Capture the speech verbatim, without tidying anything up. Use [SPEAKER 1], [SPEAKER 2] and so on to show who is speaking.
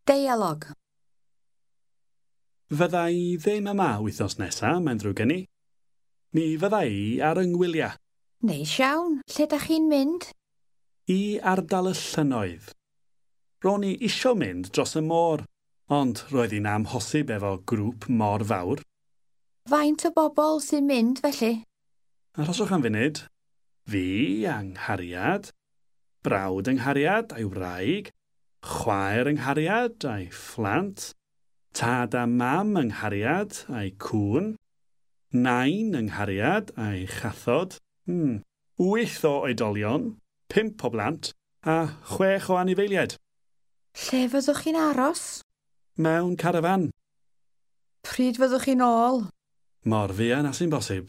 [SPEAKER 1] Deialog.
[SPEAKER 2] Fydda i ddim yma wythnos nesa, mae'n ddrwg gen i. Mi fydda i ar 'y ngwyliau.
[SPEAKER 1] Neis iawn. Lle dach chi'n mynd?
[SPEAKER 2] I ardal y llynnoedd. Ro'n i isio mynd dros y môr, ond roedd hi'n amhosib efo grŵp mor fawr.
[SPEAKER 1] Faint o bobl sy'n mynd felly?
[SPEAKER 2] Arhoswch am funud. Fi a 'nghariad, brawd 'y nghariad a'i wraig, chwaer 'y nghariad a'i phlant, tad a mam 'y nghariad a'i cŵn, nain 'y nghariad a'i chathod, hmm, wyth o oedolion, pump o blant a chwech o anifeiliaid.
[SPEAKER 1] Lle fyddwch chi'n aros?
[SPEAKER 2] Mewn carafan.
[SPEAKER 1] Pryd fyddwch chi'n ôl?
[SPEAKER 2] Mor fuan â sy'n bosib.